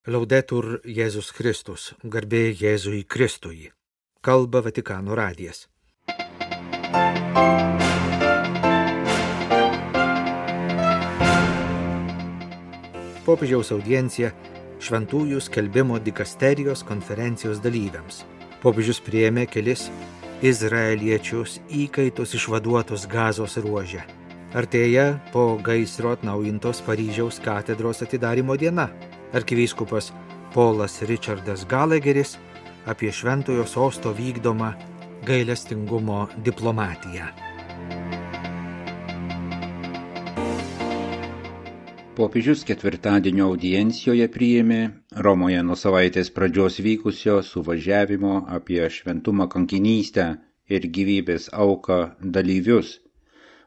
Laudetur Jėzus Kristus, garbė Jėzui Kristui. Kalba Vatikano radijas. Popiežiaus audiencija šventųjų skelbimo dikasterijos konferencijos dalyviams. Popiežius priėmė kelis izraeliečius įkaitus išvaduotus Gazos ruože. Artėja po gaisro atnaujintos Paryžiaus katedros atidarymo diena. Arkivyskupas Polas Richardas Gallagheris apie šventojo sosto vykdomą gailestingumo diplomatiją. Popiežius ketvirtadienio audiencijoje priėmė Romoje nuo savaitės pradžios vykusio suvažiavimo apie šventumą, kankinystę ir gyvybės auką dalyvius.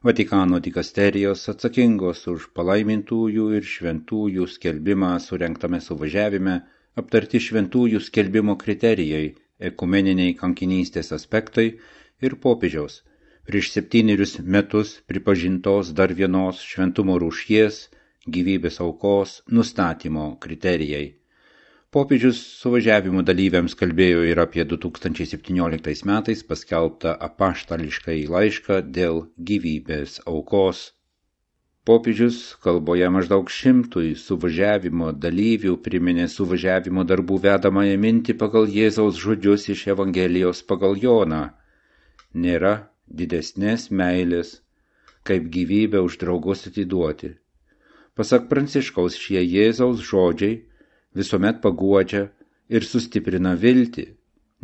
Vatikano dikasterijos atsakingos už palaimintųjų ir šventųjų skelbimą surengtame suvažiavime aptarti šventųjų skelbimo kriterijai, ekumeniniai kankinystės aspektai ir popiežiaus prieš 7 metus pripažintos dar vienos šventumo rūšies gyvybės aukos nustatymo kriterijai. Popiežius suvažiavimo dalyviams kalbėjo ir apie 2017 metais paskelbtą apaštališkąjį laišką dėl gyvybės aukos. Popiežius kalboje maždaug 100 suvažiavimo dalyvių priminė suvažiavimo darbų vedamąją mintį pagal Jėzaus žodžius iš Evangelijos pagal Joną. Nėra didesnės meilės, kaip gyvybę už draugus atiduoti. Pasak Pranciškaus, šie Jėzaus žodžiai visuomet paguodžia ir sustiprina viltį,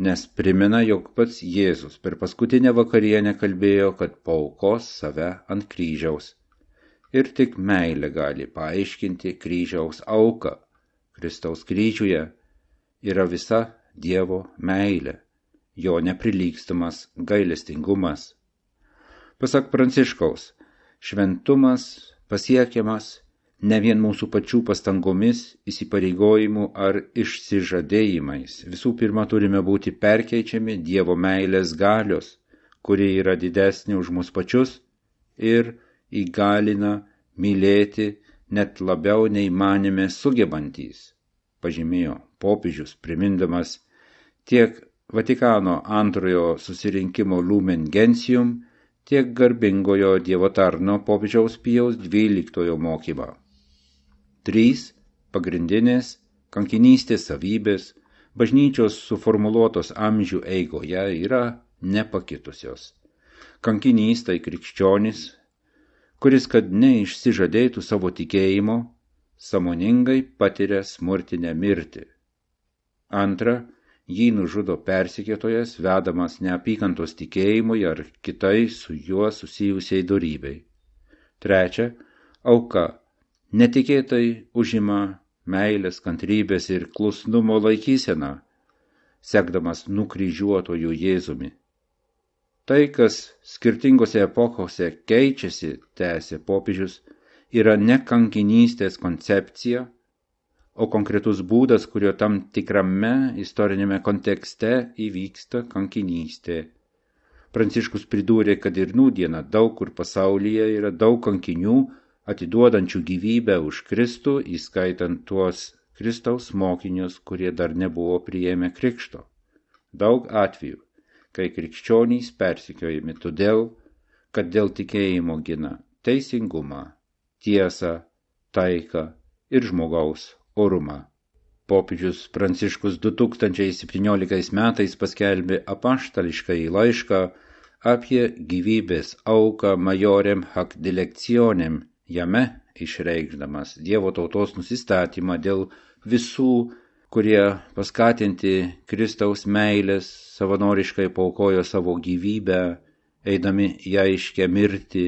nes primena, jog pats Jėzus per paskutinę vakarienę kalbėjo, kad paaukos save ant kryžiaus. Ir tik meilė gali paaiškinti kryžiaus auką. Kristaus kryžiuje yra visa Dievo meilė, jo neprilygstamas gailestingumas. Pasak Pranciškaus, šventumas pasiekiamas ne vien mūsų pačių pastangomis, įsipareigojimu ar išsižadėjimais. Visų pirma, turime būti perkeičiami Dievo meilės galios, kuri yra didesnė už mus pačius ir įgalina mylėti net labiau nei manėme sugebantys, pažymėjo popiežius, primindamas tiek Vatikano antrojo susirinkimo Lumen Gentium, tiek garbingojo Dievo tarno popiežiaus Pijaus XII mokymą. 3 pagrindinės kankinystės savybės bažnyčios suformuluotos amžių eigoje yra nepakitusios. Kankinys tai krikščionis, kuris, kad neišsižadėtų savo tikėjimo, sąmoningai patiria smurtinę mirtį. Antra, jį nužudo persekiotojas, vedamas neapykantos tikėjimui ar kitai su juo susijusiai dorybei. Trečia, auka netikėtai užima meilės, kantrybės ir klusnumo laikyseną, sekdamas nukryžiuotojų Jėzumi. Tai, kas skirtingose epochose keičiasi, tęsė popiežius, yra ne kankinystės koncepcija, o konkretus būdas, kurio tam tikrame istorinėme kontekste įvyksta kankinystė. Pranciškus pridūrė, kad ir nūdieną daug kur pasaulyje yra daug kankinių, atiduodančių gyvybę už Kristų, įskaitant tuos Kristaus mokinius, kurie dar nebuvo priėmę krikšto. Daug atvejų, kai krikščionys persekiojami todėl, kad dėl tikėjimo gina teisingumą, tiesą, taiką ir žmogaus orumą. Popiežius Pranciškus 2017 metais paskelbė apaštališkąjį laišką apie gyvybės auką majorem hac dilectionem, jame išreikšdamas Dievo tautos nusistatymą dėl visų, kurie paskatinti Kristaus meilės savanoriškai paaukojo savo gyvybę, eidami į aiškę mirtį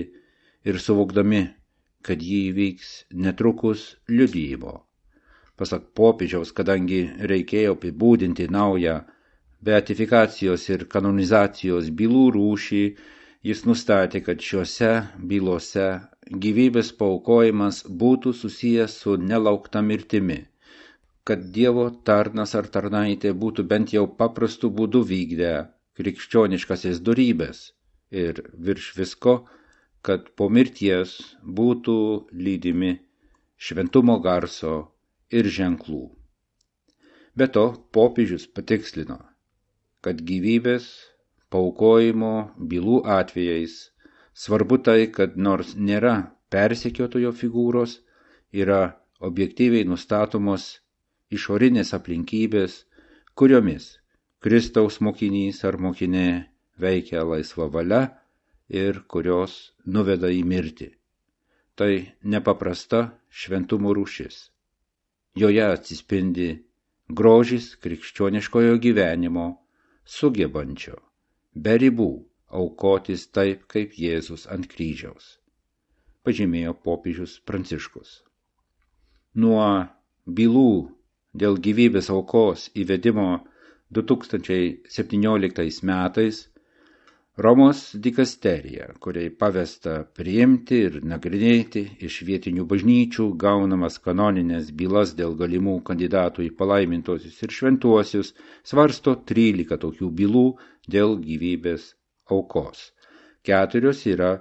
ir suvokdami, kad jį įvyks netrukus liudijimo. Pasak popiežiaus, kadangi reikėjo apibūdinti naują beatifikacijos ir kanonizacijos bylų rūšį, jis nustatė, kad šiuose bylose gyvybės paaukojimas būtų susijęs su nelaukta mirtimi, kad Dievo tarnas ar tarnaitė būtų bent jau paprastu būdu vykdę krikščioniškasias dorybės ir virš visko, kad po mirties būtų lydimi šventumo garso ir ženklų. Be to, popiežius patikslino, kad gyvybės paaukojimo bylų atvejais svarbu tai, kad nors nėra persekiotojo figūros, yra objektyviai nustatomos išorinės aplinkybės, kuriomis Kristaus mokinys ar mokinė veikia laisva valia ir kurios nuveda į mirtį. Tai nepaprasta šventumo rūšis. Joje atsispindi grožis krikščioniškojo gyvenimo, sugebančio, be ribų, aukotis taip, kaip Jėzus ant kryžiaus, pažymėjo popiežius Pranciškus. Nuo bylų dėl gyvybės aukos įvedimo 2017 metais Romos dikasterija, kuriai pavesta priimti ir nagrinėti iš vietinių bažnyčių gaunamas kanoninės bylas dėl galimų kandidatų į palaimintuosius ir šventuosius, svarsto 13 tokių bylų dėl gyvybės aukos. 4 yra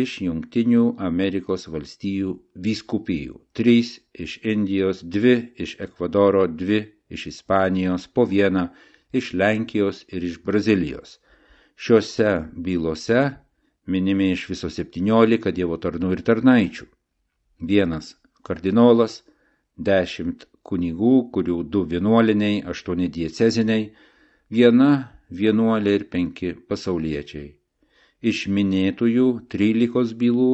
iš Jungtinių Amerikos valstijų vyskupijų, 3 iš Indijos, 2 iš Ekvadoro, 2 iš Ispanijos, po 1 iš Lenkijos ir iš Brazilijos. Šiuose bylose minimi iš viso 17 Dievo tarnų ir tarnaičių. 1 kardinolas, 10 kunigų, kurių 2 vienuoliniai, 8 dieceziniai, 1 vienuolė ir 5 pasauliečiai. Iš minėtųjų 13 bylų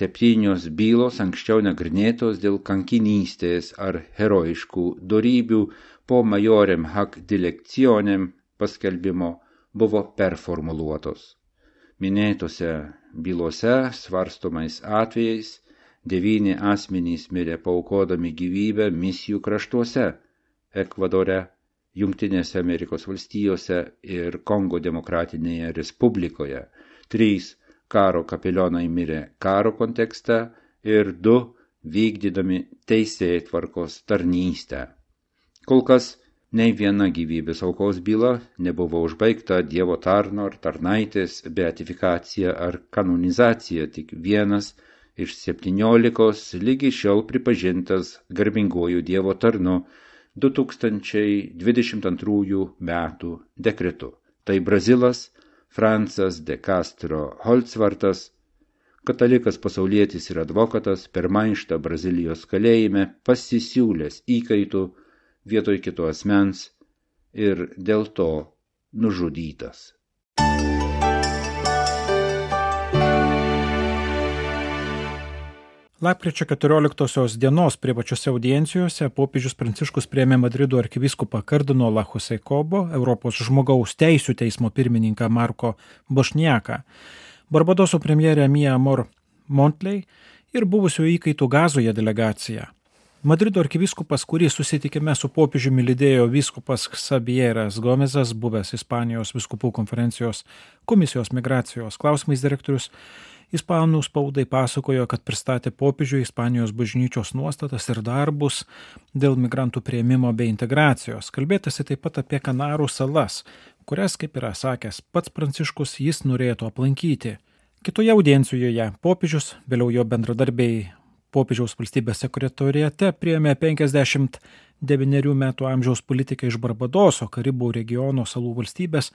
7 bylos anksčiau nagrinėtos dėl kankinystės ar herojiškų dorybių po majorem hac dilectionem paskelbimo buvo performuluotos. Minėtose bylose svarstomais atvejais 9 asmenys mirė paaukodami gyvybę misijų kraštuose – Ekvadore, Jungtinėse Amerikos valstijose ir Kongo demokratinėje respublikoje. 3 karo kapelionai mirė karo kontekste ir 2 vykdydami teisėtvarkos tarnystę. Kol kas nei viena gyvybės aukos byla nebuvo užbaigta Dievo tarno ar tarnaitės beatifikacija ar kanonizacija, tik 1 iš 17 lygi šiol pripažintas garbinguoju Dievo tarnu 2022 metų dekretu. Tai Brazilas Francas de Castro Holzvartas, katalikas pasaulietis ir advokatas, per maištą Brazilijos kalėjime pasisiūlęs įkaitų vietoj kito asmens ir dėl to nužudytas. Lapkričio 14 dienos privačiose audiencijose popiežius Pranciškus priėmė Madrido arkivyskupą kardinolą Jose Cobo, Europos žmogaus teisių teismo pirmininką Marko Bošniaką, Barbadoso premjerę Mia Amor Montley ir buvusių įkaitų Gazoje delegaciją. Madrido arkivyskupas, kurį susitikime su popiežiumi lydėjo vyskupas Xavieras Gomezas, buvęs Ispanijos vyskupų konferencijos komisijos migracijos klausimais direktorius, ispanų spaudai pasakojo, kad pristatė popiežiui Ispanijos bažnyčios nuostatas ir darbus dėl migrantų priėmimo bei integracijos. Kalbėtasi taip pat apie Kanarų salas, kurias, kaip yra sakęs pats Pranciškus, jis norėtų aplankyti. Kitoje audiencijoje popiežius, vėliau jo bendradarbiai popiežiaus valstybės sekretoriate priėmė 59 metų amžiaus politiką iš Barbadoso, Karibų regiono salų valstybės,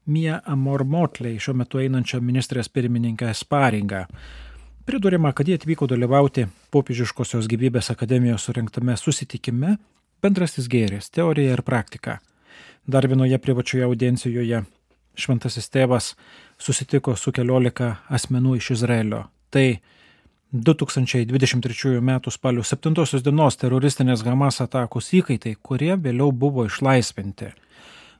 Mia Amor Montley, šiuo metu einančią ministrės pirmininkę Sparingą. Pridurima, kad jie atvyko dalyvauti Popiežiškosios gyvybės akademijos surengtame susitikime Bendrasis gėris, teorija ir praktika. Dar vienoje privačioje audiencijoje šventasis tėvas susitiko su 14 asmenų iš Izraelio. Tai 2023 m. spalio 7 dienos teroristinės Hamas atakos įkaitai, kurie vėliau buvo išlaisvinti.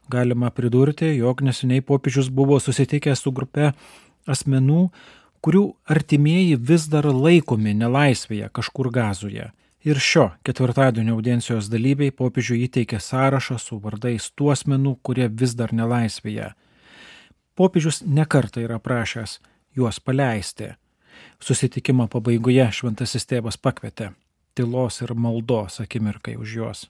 Galima pridurti, jog neseniai popiežius buvo susitikęs su grupe asmenų, kurių artimieji vis dar laikomi nelaisvėje kažkur Gazoje. Ir šio ketvirtadienio audiencijos dalyviai popiežiui įteikė sąrašą su vardais tų asmenų, kurie vis dar nelaisvėje. Popiežius nekartą yra prašęs juos paleisti. Susitikimo pabaigoje šventasis tėvas pakvietė tylos ir maldos akimirkai už juos.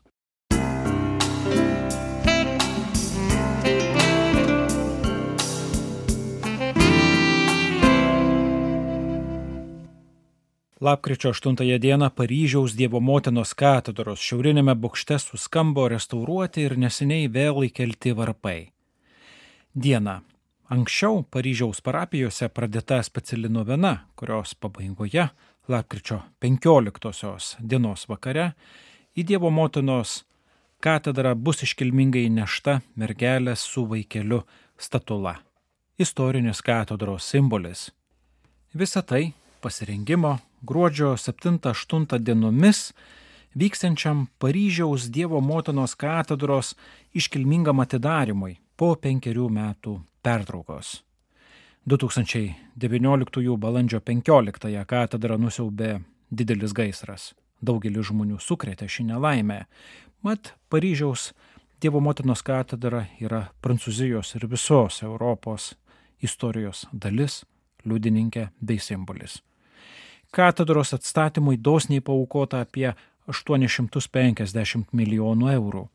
Lapkričio 8 dieną Paryžiaus Dievo motinos katedros šiaurinėme bokšte suskambo restauruoti ir neseniai vėl įkelti varpai. Dieną anksčiau Paryžiaus parapijose pradėta speciali novena, kurios pabaigoje, lapkričio 15 dienos vakare, į Dievo motinos katedrą bus iškilmingai nešta mergelės su vaikeliu statula, istorinis katedros simbolis. Visa tai pasirengimo gruodžio 7-8 dienomis vyksiančiam Paryžiaus Dievo motinos katedros iškilmingam atidarimui po 5 metų pertraukos. 2019 balandžio 15 katedrą nusiaubė didelis gaisras. Daugelis žmonių sukrėtė šį nelaimę. Mat Paryžiaus Dievo motinos katedra yra Prancūzijos ir visos Europos istorijos dalis, liudininkė bei simbolis. Katedros atstatymui dosniai paaukota apie 850 milijonų eurų.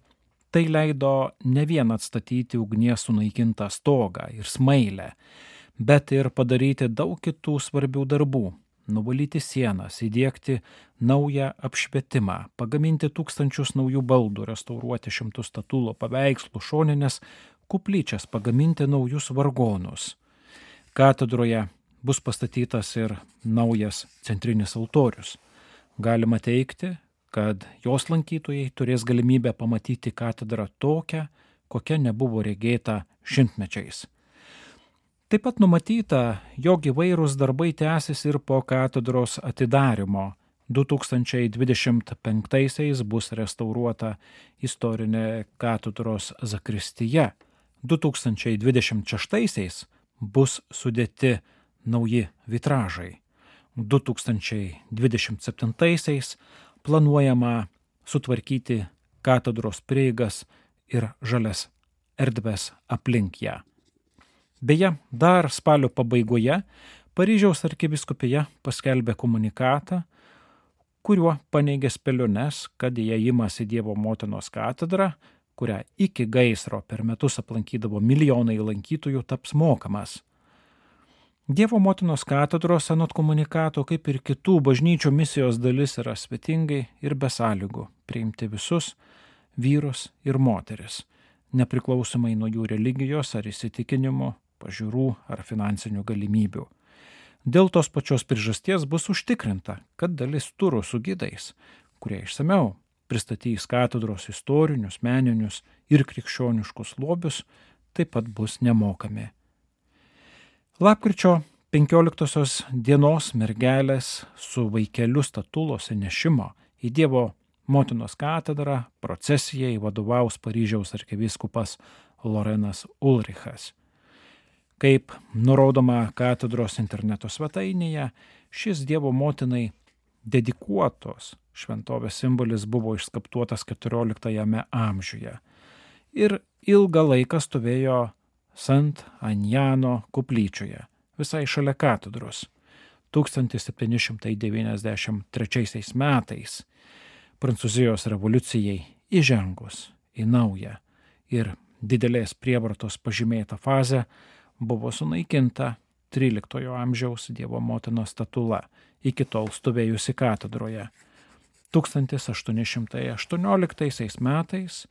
Tai leido ne vien atstatyti ugnies sunaikintą stogą ir smailę, bet ir padaryti daug kitų svarbių darbų. Nuvalyti sienas, įdiegti naują apšvietimą, pagaminti tūkstančius naujų baldų, restauruoti 100 statulų paveikslų, šoninės kuplyčias, pagaminti naujus vargonus. Katedroje bus pastatytas ir naujas centrinis altorius. Galima teigti, kad jos lankytojai turės galimybę pamatyti katedrą tokią, kokia nebuvo regėta šimtmečiais. Taip pat numatyta, jog įvairūs darbai tęsis ir po katedros atidarymo. 2025 bus restauruota istorinė katedros zakristija. 2026 bus sudėti nauji vitražai. 2027 planuojama sutvarkyti katedros prieigas ir žalias erdves aplink ją. Beje, dar spalio pabaigoje Paryžiaus arkivyskupija paskelbė komunikatą, kuriuo paneigė spėliones, kad įėjimas į Dievo motinos katedrą, kurią iki gaisro per metus aplankydavo milijonai lankytojų, taps mokamas. Dievo motinos katedros anot komunikato, kaip ir kitų bažnyčių misijos dalis, yra svetingai ir be sąlygų priimti visus vyrus ir moteris, nepriklausomai nuo jų religijos ar įsitikinimų, pažiūrų ar finansinių galimybių. Dėl tos pačios priežasties bus užtikrinta, kad dalis turų su gidais, kurie išsamiau pristatys katedros istorinius, meninius ir krikščioniškus lobius, taip pat bus nemokami. Lapkričio 15 dienos mergelės su vaikeliu statulos įnešimo į Dievo motinos katedrą procesijai vadovaus Paryžiaus arkivyskupas Lorenas Ulrichas. Kaip nurodoma katedros interneto svetainėje, šis Dievo motinai dedikuotos šventovės simbolis buvo išskaptuotas 14 amžiuje ir ilgą laiką stovėjo Sant Anjano koplyčioje, visai šalia katedros. 1793 metais Prancūzijos revoliucijai įžengus į naują ir didelės prievartos pažymėtą fazę buvo sunaikinta 13 amžiaus Dievo motinos statula, iki tol stovėjusi katedroje. 1818 metais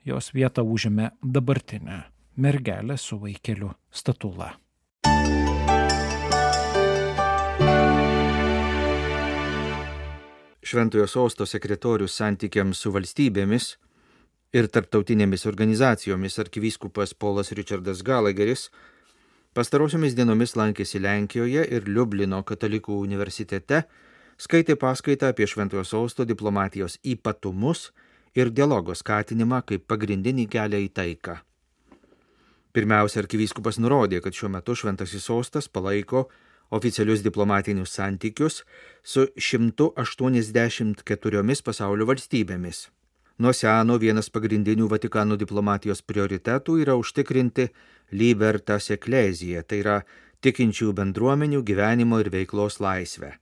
jos vietą užėmė dabartinė mergelė su vaikeliu statula. Šventojo sosto sekretorius santykiams su valstybėmis ir tarptautinėmis organizacijomis arkivyskupas Polas Richardas Gallagheris pastarosiomis dienomis lankėsi Lenkijoje ir Liublino katalikų universitete, skaitė paskaitą apie Šventojo sosto diplomatijos ypatumus ir dialogo skatinimą kaip pagrindinį kelią į taiką. Pirmiausia, arkivyskupas nurodė, kad šiuo metu Šventasis sostas palaiko oficialius diplomatinius santykius su 184 pasaulio valstybėmis. Nuo seno vienas pagrindinių Vatikano diplomatijos prioritetų yra užtikrinti libertas ecclesiae, tai yra tikinčių bendruomenių gyvenimo ir veiklos laisvę.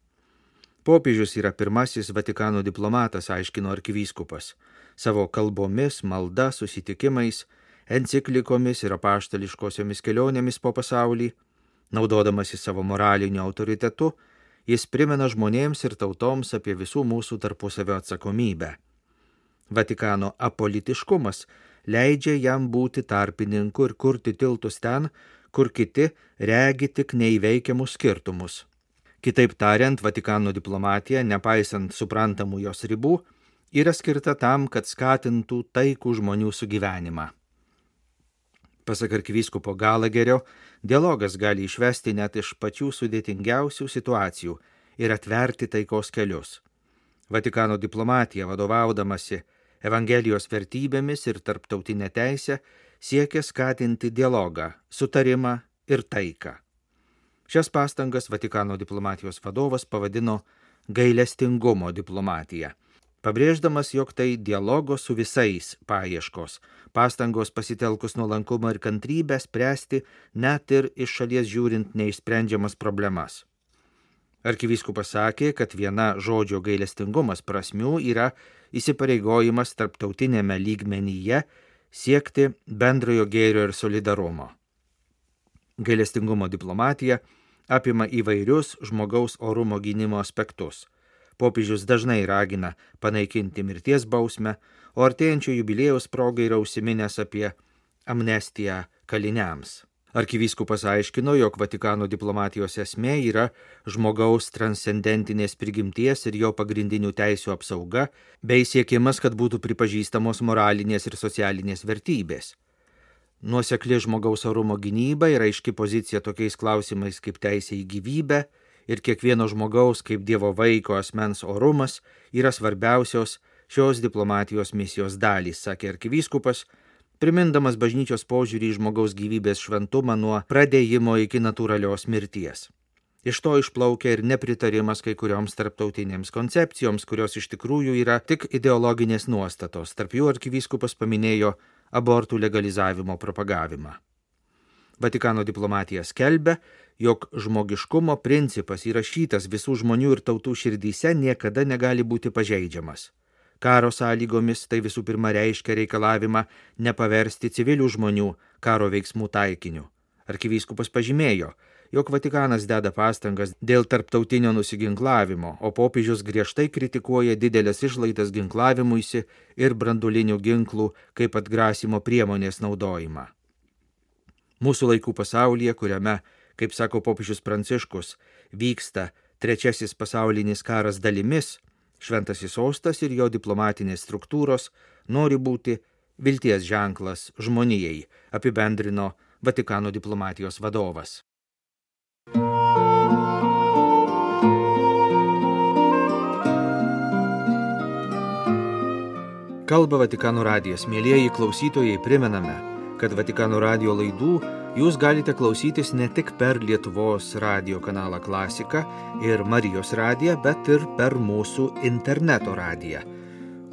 Popiežius yra pirmasis Vatikano diplomatas, aiškino arkivyskupas, savo kalbomis, malda, susitikimais, enciklikomis ir apaštališkosiomis kelionėmis po pasaulį, naudodamasi savo moraliniu autoritetu, Jis primena žmonėms ir tautoms apie visų mūsų tarpusavio atsakomybę. Vatikano apolitiškumas leidžia jam būti tarpininku ir kurti tiltus ten, kur kiti regi tik neįveikiamus skirtumus. Kitaip tariant, Vatikano diplomatija, nepaisant suprantamų jos ribų, yra skirta tam, kad skatintų taikų žmonių sugyvenimą. Pasak arkivyskupo Galagerio, dialogas gali išvesti net iš pačių sudėtingiausių situacijų ir atverti taikos kelius. Vatikano diplomatija, vadovaudamasi Evangelijos vertybėmis ir tarptautinę teisę, siekia skatinti dialogą, sutarimą ir taiką. Šias pastangas Vatikano diplomatijos vadovas pavadino gailestingumo diplomatija, pabrėždamas, jog tai dialogo su visais paieškos, pastangos pasitelkus nuolankumą ir kantrybę spręsti net ir iš šalies žiūrint neišsprendžiamas problemas. Arkivyskupas sakė, kad viena žodžio gailestingumas prasmių yra įsipareigojimas tarptautinėme lygmenyje siekti bendrojo gėrio ir solidarumo. Gailestingumo diplomatija apima įvairius žmogaus orumo gynimo aspektus. Popiežius dažnai ragina panaikinti mirties bausmę, o artėjančio jubiliejaus progai yra užsiminęs apie amnestiją kaliniams. Arkivyskupas aiškino, jog Vatikano diplomatijos esmė yra žmogaus transcendentinės prigimties ir jo pagrindinių teisių apsauga, bei siekimas, kad būtų pripažįstamos moralinės ir socialinės vertybės. Nuosekli žmogaus orumo gynyba yra aiški pozicija tokiais klausimais kaip teisė į gyvybę ir kiekvieno žmogaus kaip Dievo vaiko asmens orumas yra svarbiausios šios diplomatijos misijos dalys, sakė arkivyskupas, primindamas bažnyčios požiūrį į žmogaus gyvybės šventumą nuo pradėjimo iki natūralios mirties. Iš to išplaukia ir nepritarimas kai kurioms tarptautinėms koncepcijoms, kurios iš tikrųjų yra tik ideologinės nuostatos. Tarp jų arkivyskupas paminėjo abortų legalizavimo propagavimą. Vatikano diplomatija skelbia, jog žmogiškumo principas įrašytas visų žmonių ir tautų širdyse niekada negali būti pažeidžiamas. Karo sąlygomis tai visų pirma reiškia reikalavimą nepaversti civilių žmonių karo veiksmų taikiniu. Arkivyskupas pažymėjo, jog Vatikanas deda pastangas dėl tarptautinio nusiginklavimo, o popiežius griežtai kritikuoja didelės išlaidas ginklavimuisi ir branduolinių ginklų kaip atgrasimo priemonės naudojimą. Mūsų laikų pasaulyje, kuriame, kaip sako popiežius Pranciškus, vyksta trečiasis pasaulinis karas dalimis, Šventasis sostas ir jo diplomatinės struktūros nori būti vilties ženklas žmonijai, apibendrino Vatikano diplomatijos vadovas. Kalba Vatikano radijas. Mielieji klausytojai, primename, kad Vatikano radijo laidų jūs galite klausytis ne tik per Lietuvos radijo kanalą Klasika ir Marijos radiją, bet ir per mūsų interneto radiją,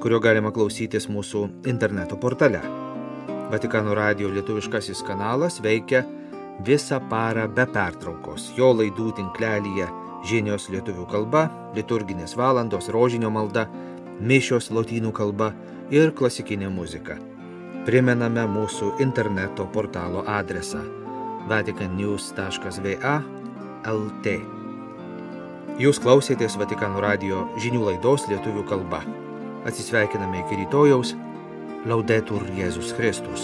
kurio galima klausytis mūsų interneto portale. Vatikano radijo lietuviškasis kanalas veikia visą parą be pertraukos. Jo laidų tinklelyje žinios lietuvių kalba, liturginės valandos, rožinio malda, mišios lotynų kalba ir klasikinė muzika. Primename mūsų interneto portalo adresą vaticannews.va/lt. Jūs klausėtės Vatikano radijo žinių laidos lietuvių kalba. Atsisveikiname iki rytojaus. Laudetur Jėzus Kristus.